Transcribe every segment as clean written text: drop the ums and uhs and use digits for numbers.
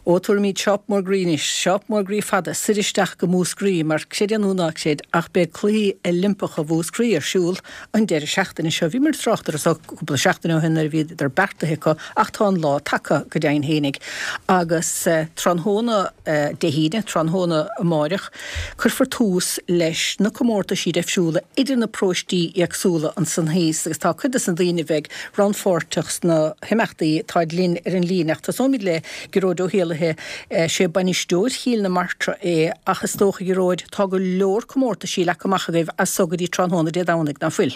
Ó, tabharfaimid seáp mór groí anois, seáp mór groí fada, soir isteach go Múscraí, mar creid é nó ná creid, ach beidh Cluichí Oilimpeacha Mhúscraí ar siúl an deireadh seachtaine seo. Bhíomar ag trácht air so cúpla seachtain ó shin nuair a bhíodar beartaithe acu ach tá an lá tagtha go deimhin fhéinig agus tráthnóna Dé hAoine, tráthnóna amáireach, cuirfear tús leis na comórtaisí deifriúla idir na paróistí éagsúla ansan thíos agus tá cuid des na daoine a bheidh rannpháirteach sna himeachtaí, táid linn ar an líne ach tosóimid le Gearóid Ó hÉallaithe, sé bainisteoir Chill na Martra é ach is dócha, a Ghearóid, tá go leor comórtaisí leagtha amach agaibh as so go dtí tráthnóna Dé Domhnaigh, ná fuil?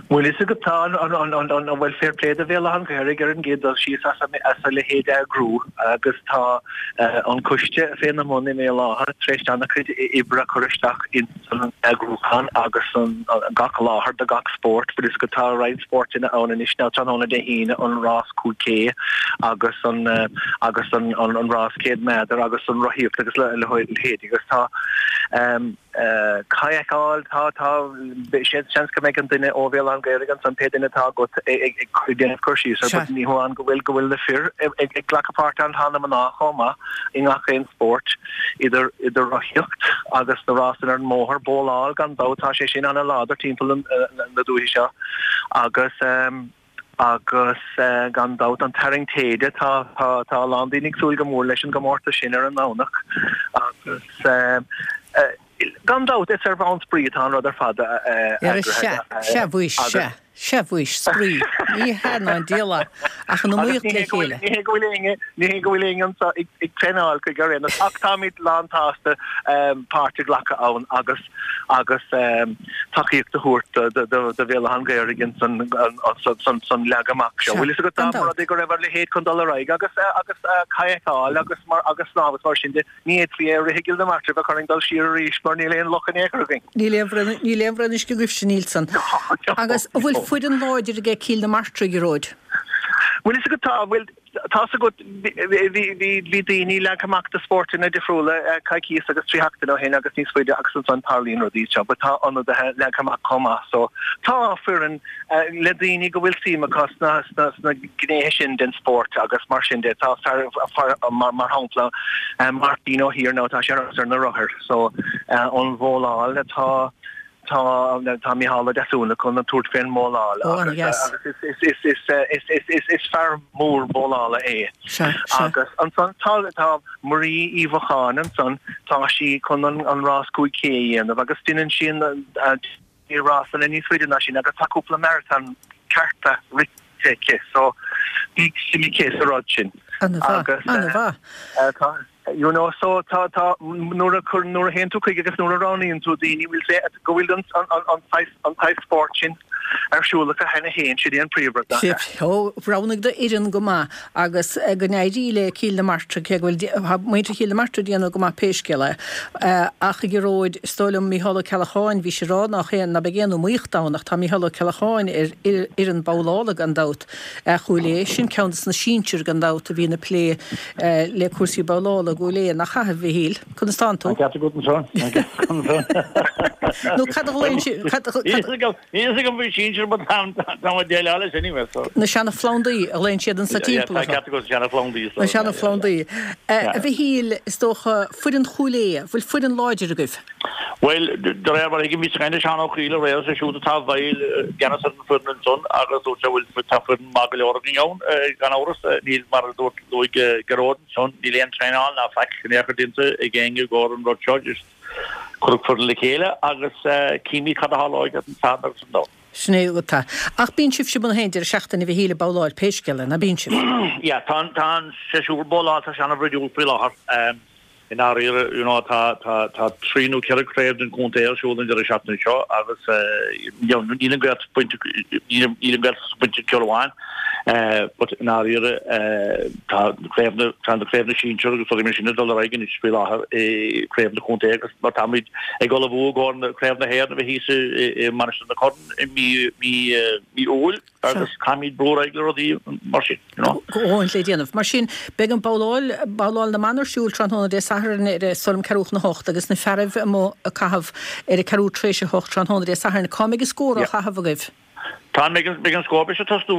Bhuel, is agat tá an, an, an, an, bhuel, fair play do Bhéal Átha an Ghaorthaidh ar an gcéad dul síos as a, as a leithéid a eagrú agus tá an coiste féna mbun i mBéal Átha tar éis an-chuid oibre a chur isteach ins an eagrúchán agus an, gach láthair do gach spórt. Bhuel, is agat tá roinnt spórtanna ann anois now tráthnóna Dé hAoine an rás 5K agus an, agus an, an, an rás 100 méadar agus an rothaíocht agus a leithéid agus tá, Kayakáil, tá, tá, seans go mbeidh an duine ó Bhéal Átha an Ghaorthaidh ansan, pé duine atá agat ag déanamh cur síos air, but ní hamháin go bhfuil, go bhfuil na fir ag glacadh páirt ann, tá na mná chomh maith i ngach aon spórt, idir, idir rothaíocht agus na rásanna ar an mbóthar, bóláil gan dabht, tá sé sin ana-láidir timpeall na dúiche seo agus. Agus gan dabht an tarraingt téide, tá a lán daoine ag súil go mór leis an gcomórtas sin ar an nDomhnach agus gan dabht is ar bhonn spraoi atá an rud ar fad eagraithe. Sea, mhuis, sea, sea mhuis, spraoi, ní hea ná an diabhal é, ach an iomaíocht le chéile. Ní hé go bhfuil éinne, ní hé go bhfuil éinne anseo ag traenáil chuige ar aon nós ach táimid lán-tsásta páirt a ghlacadh ann agus agus tacaíocht a thabhairt do Bhéal Átha an Ghaorthaidh ins an leagan amach seo. Bhfuil fhios agat dá mba rud é go raibh a leithéid chun dul ar aghaidh agus agus kayakáil agus mar agus snámh agus mar sin de, ní fhéadfaí é a rith i gCill na Martra bheadh orainn dul siar arís mar níl aon loch in aon chor againn. Níl aon bhraon níl aon bhraon uisce agaibhse, níl san. Agus an bhfuil foireann láidir aige Cill na Martra, a Ghearóid? Bhfuil fhios agat tá, bhfuil. Tá's agat, bhí daoine leagtha amach do spórtanna difriúla coicíos agus 3 sheachtain ó shin agus níos faide agus ansan tarlaíonn rudaí seo but tá ionadaithe leagtha amach chomh maith so tá foireann le daoine go bhfuil suim acu sna sna gnéithe sin den spórt agus mar sin de tá fear mar mar shampla Martin Ó hIarnáin tá sé ar na rothair so an bhóláil atá Tá tá Micheál Ó Deasúna chun an tabhairt fén mbóláil agus is fear mór bólála é. Agus ansan tá tá Marie Uí Mhocháin ansan, tá sí chun an rás 5K a dhéanamh agus déanann sí an rásanna níos faide ná sin agus tá cúpla marathon cearta rite aici so bhí suim aici sa rud sin. Ana-mhaith, ana-mhaith. Tá You know, so tá, tá, nuair a chur, nuair a théann tú chuige agus nuair a roghnaíonn tú daoine, bhfuil sé, go bhfuil an, an, an, an saghas, an saghas spóirt sin ar siúl acu cheana féin, sin é an príomhrud, nach ea? Ó, roghnaigh d'fhoireann go maith agus go n-éirí le Cill na Martra, cé go bhfuil, tá muintir Chill na Martra ag déanamh go maith pé scéal é. Ach a Ghearóid, is dóigh liom Mícheál Ó Ceallacháin, bhís ag rá nach aon, ná beidh aon iomaíocht ann ach tá Mícheál Ó Ceallacháin ar fhoireann babhlála gan dabht. Chúil Aodha, sin ceann de na sinsir gan dabht a bhíonn ag plé le cúrsaí babhlála i gCúil Aodha, nach ea, a Mhichíl? Conas tánn tú? An ceart agat ansan. Nó cad a ghlaonn si-, cad, cad. Níl fhios agam faoi sinsir but tá mé ag déileáil leis anyway so. Na seana-phlandaí a ghlaonn siad anso timpeall orthu. Tá ceart agat, seana-phlandaí. Na seana-phlandaí. A Mhichíl, is dócha, foireann Chúil Aodha, bhfuil foireann láidir agaibh? Bhuel, de réir mar a thuigim, bhíos ag caint le Seán Ó Cuív aréir, is é siúd atá i bhfeighil i gceannas ar an bhfoireann ansan agus dúirt sé, bhuel, tá foireann maith go leor againn ann, gan amhras. Níl, mar a dúirt, luaigh Gearóid ansan, níl aon traenáil ná faic in aon chor déanta ag éinne i gcomhair an rud seo, just cuireadh foireann le chéile agus címid cad a tharlóidh ar an Satharn agus an Domhnach. Sin é atá. Ach bíonn sibhse amuigh an deireadh seachtaine a Mhichíl ag babhláil pé scéal é, ná bíonn sibh? Yeah, tá an, tá an séasúr babhlála, tá sé an-bhroidiúil faoi láthair. I ndáiríre, you know, tá, tá, tá trí nó ceithre craobh den chontae ar siúl an deireadh seachtaine seo agus you know, níl an Ghaeltacht bainte, níl, níl an Ghaeltacht bainte ceol amháin, but i ndáiríre, tá craobh na, tá na craobh na sinsear agus rudaí mar sin ag dul ar aghaidh anois faoi láthair i craobh na contae agus mar táimid ag ullmhú i gcomhair na craobh na hÉireann a bheidh thíos i, i Mainistir na Corann i mí, mí, mí Iúil. Agus caithfimid brú ar aghaidh le rudaí mar sin, you know. Dhóthain le déanamh. Mar sin, beidh an babhláil, babhláil na mban ar siúl tráthnóna Dé Sathairn ar is dóigh liom ceathrú chun a hocht agus na fearaibh amuigh ag caitheamh ar a ceathrú tar éis a hocht tráthnóna Dé Sathairn. Cá mbeidh an scór á chaitheamh agaibh? Tá, beidh an scór, beidh sé ag tosnú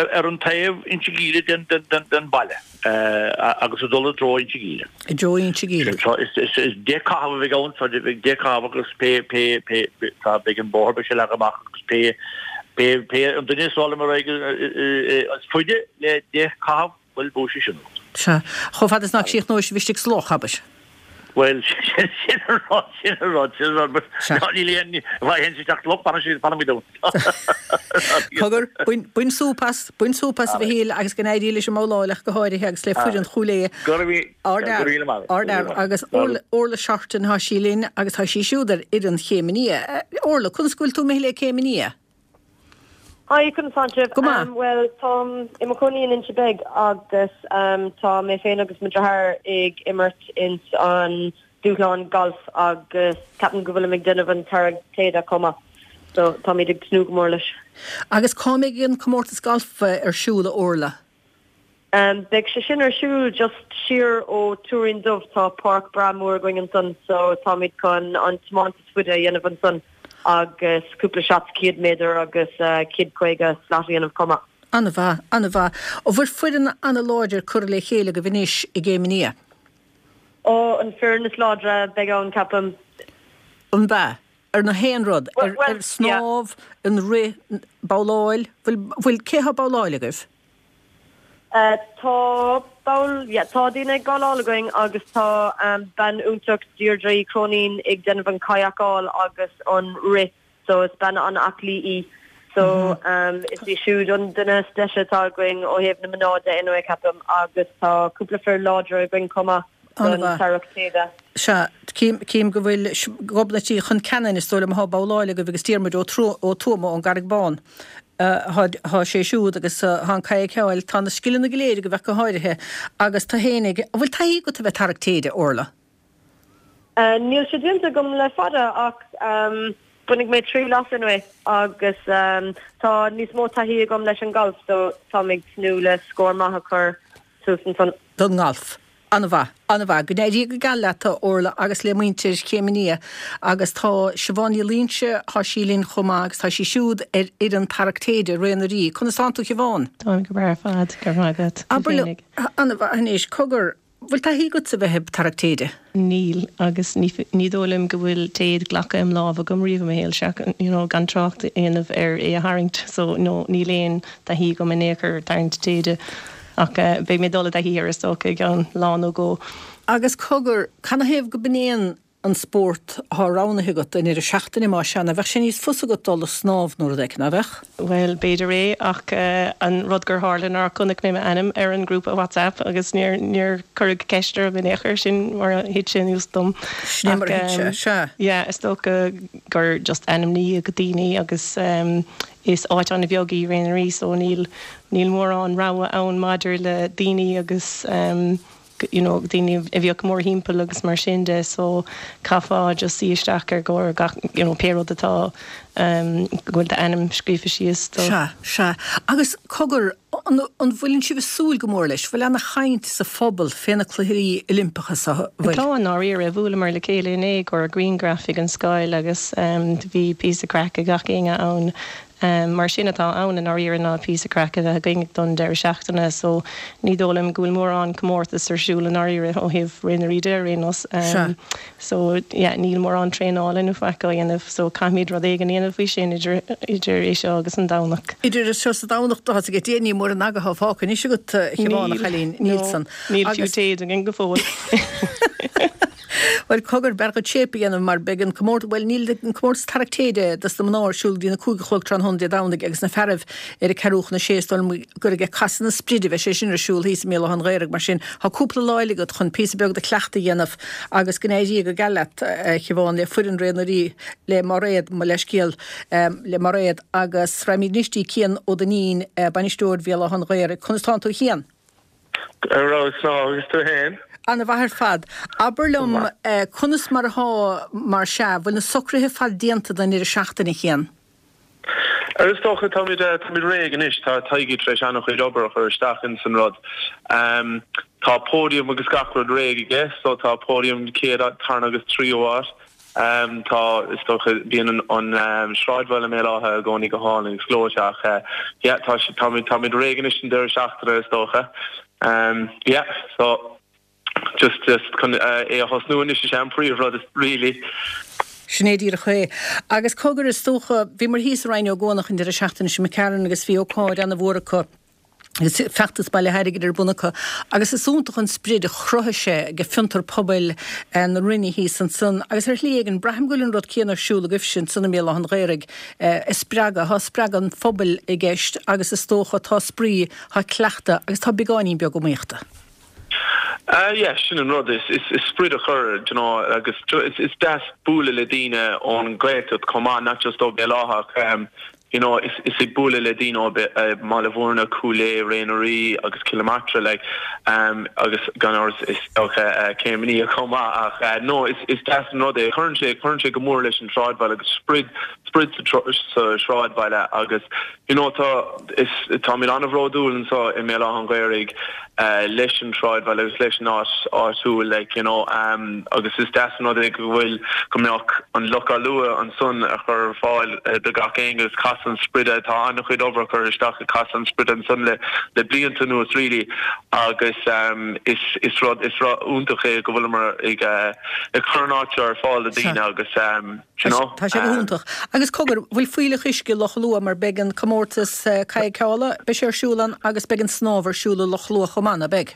ar an taobh Inse Gile den baile agus ag dul i dtreo Inse Gile. I dtreo Inse Gile. So is 10 caitheamh a bheidh ann, so beidh 10 caitheamh agus pé, pé, pé, tá, beidh an bóthar, beidh sé leagtha amach agus pé, pé, pé an duine is dul ar aghaidh is faide le 10 caitheamh, Bhuel, buafaidh sé sin an rud. Sea. Chomh fada is nach gcríochnóidh sibh istigh sa loch, abair. Bhuel, sin an rud, sin an rud, sin an rud, but Sea. ná níl aon, má théann sé isteach sa loch, fanann sé, fanfaimid ann. Cogar, bain, bain súp as, bain súp as a Mhichíl agus go n-éirí leis an mbabhláil ach go háirithe agus le foireann Chúil Aodha. Go raibh mí, go raibh míle maith agat. Ardfhear, agus Orla, Orla Shorten, tá sí linn agus tá sí siúd ar fhoireann Chéim an Fhia. Orla, conas go bhfuil tú imithe le Céim an Fhia? Hi, conas tánn sibh? Go maith. Bhuel, táim i mo chónaí in Inse Beag agus tá mé féin agus mo dheartháir ag imirt ins an dúshlán galf agus ceapaim go bhfuilim ag déanamh an tarrac téide chomh maith. So táimid ag tnúth go mór leis. Agus cá mbeidh an comórtas galf ar siúl, a Orla? Beidh sé sin ar siúl just siar ó Tuairín Dubh, tá páirc breá mór againn ansan so táimid chun an tiomáint is faide a dhéanamh ansan agus cúpla shots 100 méadar agus 150 slat a dhéanamh chomh maith. An-mhaith, an-mhaith. An bhfuil foireann an-láidir curtha le chéile agaibh anois i gCéim an Fhia? Ó, an foireann is láidre a bheidh ann, ceapaim. An ea? Ar na haon rud, ar snámh, an rith, babhláil, bhfuil, bhfuil, cé thá ag babhláil agaibh? Tá ball, yeah, tá daoine ag babhláil againn agus tá bean iontach Deirdre Uí Chróinín ag déanamh an kayakáil agus an rith so is bean an-aclaí í so is í siúd an duine is deise atá againn ó thaobh na mná de anyway ceapaim agus tá cúpla fir láidre againn chomh maith don tarrac téide. Sea, cím go bhfuil Gobnait Uí Chonceanainn, is dóigh liom, athá ag babhláil agaibh agus Diarmuid Ó Tuama ón gCarraig Bhán. Thá sé siúd agus thá an kayakáil, tá na scileanna go léir agaibh ach go háirithe. Agus tú fhéinig, an bhfuil taithí agat a bheith ag tarrac téide, Orla? Níl sé déanta agam le fada ach bainfidh mé triail as anyway agus tá níos mó taithí agam leis an galf so táim ag tnúth le scór maith a chur suas ansan. Don ngalf. An-mhaith, an-mhaith. Go n-éirí go geal leat, a Orla, agus le muintir Chéim an Fhia. Agus tá Siobhán Ní Loingsigh, tá sí linn chomh maith agus tá sí siúd ar fhoireann Tarrac Téide, Ré na Rí. Conas tánn tú, a Shiobhán? Táim go breá ar fad, go raibh maith agat. Abair liom, an-mhaith anois, cogar, bhfuil taithí agatsa a bheith ag tarrac téide? Níl, agus ní dóigh liom go bhfuil téad glactha im lámh agam riamh i mo shaol, seach, you know, gan trácht a dhéanamh ar é a tharraingt, so no, níl aon taithí agam in aon chor ar tarraingt téide. Ach beidh mé ag dul i dtaithí air is dócha i gceann lá nó dhó. Agus cogar, canathaobh go b'in é an spórt athá roghnaithe agat don ndeireadh seachtaine, más ea, ná bheadh sé níos fusa agat dul ag snámh nó rud éicint, ná bheadh? Bhuel, b'fhéidir é, ach an rud gur tharla ná chonaic mé m'ainm ar an ngrúpa WhatsApp agus níor, níor cuireadh ceist orm in aon chor, sin mar a thit sé anuas dom. Sin é mar a thit sé, sea. Yeah, is dócha gur just ainmníodh daoine agus Is áit an-bheag í Ré na Rí so níl, níl mórán rogha ann maidir le daoine agus you know daoine a bheadh mórthimpeall agus mar sin de so chaithfeá just suí isteach ar gcomhair gach you know pé rud atá go bhfuil d'ainm scríofa síos do. Sea, sea. Agus cogar, an, an bhfuileann sibh ag súil go mór leis? Bhfuil ana-chaint sa phobal fé na Cluichí Oilimpeacha so, bhfuil? Tá, i ndáiríre. Bhuaileamar le chéile inné i gcomhair grianghraf ag an scoil agus bhí píosa craic ag gach éinne ann. Mar sin atá ann i ndáiríre ná píosa craic a bheith againn don deireadh seachtaine so ní dóigh liom go bhfuil mórán comórtas ar siúl i ndáiríre ó thaobh Ré na Rí de ar aon nós. Sea. So yeah níl mórán traenála nó faic á dhéanamh so caithfimid rud éigin a dhéanamh faoi sin idir idir é seo agus an Domhnach. Idir é seo is an Domhnach tá a fhios agat níl mórán aga atá fágtha anois agat a Shiobhán a Níl, chailín, níl no, san. níl fiú Agus. téad againn go fóill. Bhuel cogar, b'fhearr dhuit shape a dhéanamh mar beidh an comórtas, bhuel níl an comórtas tarrac téide dos na mná ar siúl go dtí na 5 a chlog tráthnóna Dé Domhnaigh agus na fearaibh ar a ceathrú chun a sé is dóigh liom gur ag casadh na spride a bheidh sé sin ar siúl thíos i mBéal Átha an Ghaorthaidh mar sin tá cúpla lá eile agat chun píosa beag de chleachtadh a dhéanamh Agus go n-éirí go geal leat, a Shiobhán, le foireann Ré na Rí, le Mairéad, mo leithscéal, le Mairéad, agus raghaimid anois dtí Cian Ó Duinnín, bainisteoir Bhéal Átha an Ghaorthaidh. Conas tánn tú, a Chian? Ar fheabhas ná agus tú fhéin? Ana-mhaith ar fad. Abair liom, conas mar athá, mar sea, bhfuil na socruithe ar fad déanta don ndeireadh seachtaine, a Chian? Is dócha, táimid, táimid réidh anois, tá Tadhg tar éis an-chuid obair a chur isteach ins an rud. Tá podium agus gach rud réidh aige, so tá podium chéad, tarna agus tríú háit. Tá, is dócha, bíonn an sráidbhaile i mBéal Átha i gcónaí go hálainn agus gleoite ach yeah, tá, táimid, táimid réidh anois don deireadh seachtaine is dócha. Yeah, so just, just chun é a thosnú anois is ea an príomhrud really. Sin é díreach é. Agus cogar, is dócha, bhíomar thíos i Rinn Ó gCuanach an deireadh seachtaine seo imigh tharainn agus bhí ócáid ana-mhór acu, agus feachtas bailithe airgid ar bun acu agus is iontach an sprid a chruthaigh sé ag fiontar pobail na Rinne thíos ansan agus ar shlí éigin braithim go bhfuil an rud céanna ar siúl agaibhse ansan i mBéal Átha an Ghaorthaidh ag spreagadh, tá spreagadh an phobail i gceist agus is dócha tá spraoi, tá cleachtadh agus tá beagáinín beag iomaíochta. Ah yeah, sin an rud, is sprid a chur, do you know, agus is deas bualadh le daoine ón Ghaeltacht chomh maith, not just ó Bhéal Átha ach you know, is ag bualadh le daoine ó Bhaile Bhúirne, Cúil Aodha, Ré na Rí agus Cill na Martra like, agus gan amhras is dócha Céim Aníoth chomh maith ach no, is is deas an rud é, cuireann sé, cuireann sé go mór leis an sráidbhaile agus sprid, sprid sa sráidbhaile agus you know tá, is, táimid an-bhródúil anseo i mBéal Átha an Ghaorthaidh leis an sráidbhaile agus leis an áit áitiúil like you know agus is deas an rud é go bhfuil go mbeadh an Loch Allua ansan a chur ar fáil do gach éinne agus Caisleán Spride tá an-chuid obair curtha isteach ag Caisleán Spride ansan le le blianta anuas really agus is is rud is rud iontach é go bhfuileamar ag ag cur an áit seo ar fáil do daoine agus you know. Tá sé go hiontach. Agus cogar, bhfuil fuílleach uisce i Loch Allua mar beidh an comórtas cadhcála, beidh sé ar siúl ann agus beidh an snámh ar siúl i Loch Allua chomh maith, ná beidh?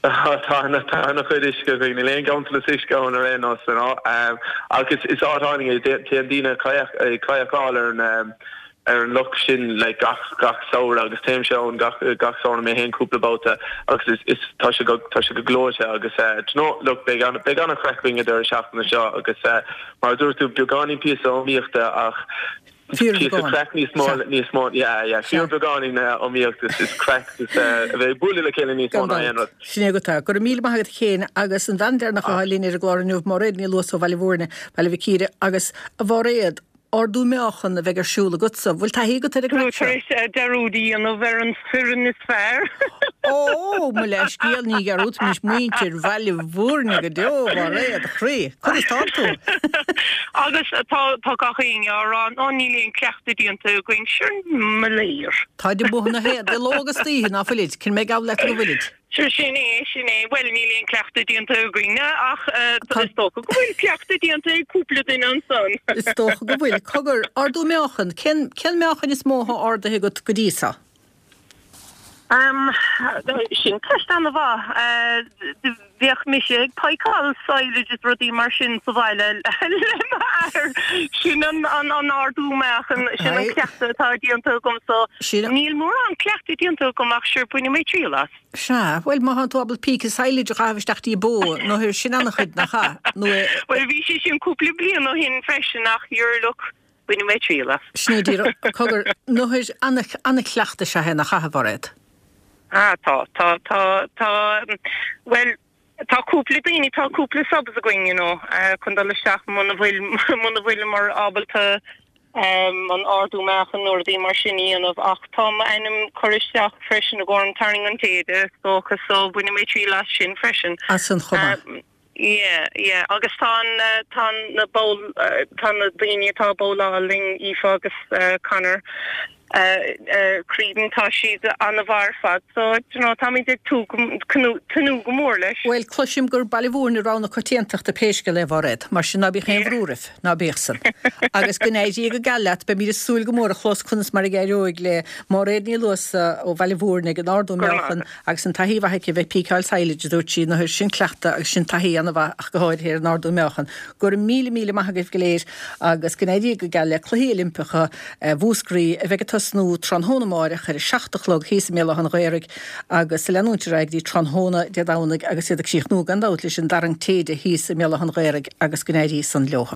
Tá, tá an-chuid uisce againn, níl aon ghanntanas uisce ann ar aon nós, you know. Ach is is áit álainn é, téann daoine ag cadhcáil ar an ar an loch sin like gach gach samhradh agus téimse ann gach gach samhradh mé féin cúpla babhta agus is is tá sé go tá sé go gleoite agus eh do you know look beidh an beidh an-chraic againn an deireadh seachtaine seo agus eh mar a dúirt tú beagáinín píosa iomaíochta ach píosa craic níos mó níos mó yeah yeah fíor beagáinín iomaíocht is is craic is eh a bheith ag bualadh le chéile níos mó ná aon rud. Sin é agat é. Go raibh míle maith agat a Chéin agus an bhean deireanach atá linn ar an gclár inniu Máiréad Ní Luasa ó Bhaile Bhúirne, Baile Mhic Íre agus a Mháiréad, Ardú meáchan a bheidh ar siúl agatsa. Bhfuil taithí agat ar an gcraic seo? Tar éis dearúd a dhéanamh ar an foireann is fearr. Ó, mo leithscéal, ní dhearúdfaimis muintir Bhaile Bhúirne go deo, a Mháiréad, a chroí. Conas tánn tú? Agus tá tá gach éinne á rá, Ó, níl aon cleachtadh déanta againn. Sure, mo léir. Táid amuigh na haon, de ló agus d'oíche, ná fuilid? Cinn mé ag gabháil leat go bhfuilid? Sure, sin é, sin é. Bhuel, níl aon cleachtadh déanta againne ach is dócha go bhfuil cleachtadh déanta ag cúpla duine ansan. Is dócha go bhfuil. Cogar, ardú meáchan, cén, cén meáchan is mó atá ardaithe agat go dtí so? Em, sin ceist ana-mhaith. Bheadh mise ag pacáil silage is rudaí mar sin sa bhaile le m'athair. Sin an, an, an ardú meáchan, sin an cleachtadh atá déanta agam so níl mórán cleachtadh déanta agam ach sure bainfidh mé triail as. Sea, bhuel má thánn tú ábalta píce silage a chaitheamh isteach dtí bó, nó sin an-chuid, nach ea? Nó é. Bhuel bhí sé sin cúpla bliain ó shin freisin ach you're look, bainfidh mé triail as. Sin é díreach, cogar, nó an-chleachtadh is ea é, nach ea, a Mhairéad? Ah tá, tá, tá, tá, bhuel tá cúpla daoine, tá cúpla subs againn, you know, chun dul isteach muna bhfuil, muna bhfuileamar ábalta an ardú meáchain nó rudaí mar sin a dhéanamh ach tá m'ainm curtha isteach freisin i gcomhair an tarraing an téide is dócha so bainfidh mé triail as sin freisin. As san chomh maith. Yeah, yeah agus tá an, tá na bowl, tá na daoine atá ag bowláil linn, Aoife agus Conor Creedon, tá siad an-mhaith ar fad so, do you know, táimid ag tnúth go mór leis. Bhuel, cloisim gur Baile Bhúirne rogha na coitiantachta pé scéal é, a Mhairéad, mar sin ná bíodh aon bhrú oraibh, ná bíodh san. Agus go n-éirí go geal leat, beimid ag súil go mór a chlos conas mar a éireoidh le Máiréad Ní Luasa ó Bhaile Bhúirne ag an ardú meáchan Agus an taithí mhaith aici a bheith ag píceáil silage, a dúirt sí, nó sin cleachtadh agus sin taithí ana-mhaith ach go háirithe ar an ardú meáchan. Go raibh míle míle maith agaibh go léir agus go n-éirí go geal le Cluichí Oilimpeacha Mhúscraí a bheidh ag tosnú tráthnóna amáireach ar a 7 a chlog thíos i mBéal Átha an Ghaorthaidh agus ag leanúint ar aghaidh go dtí tráthnóna Dé Domhnaigh agus iad ag críochnú gan dabht leis an dtarraingt téide thíos i mBéal Átha an Ghaorthaidh agus go n-éirí san leo.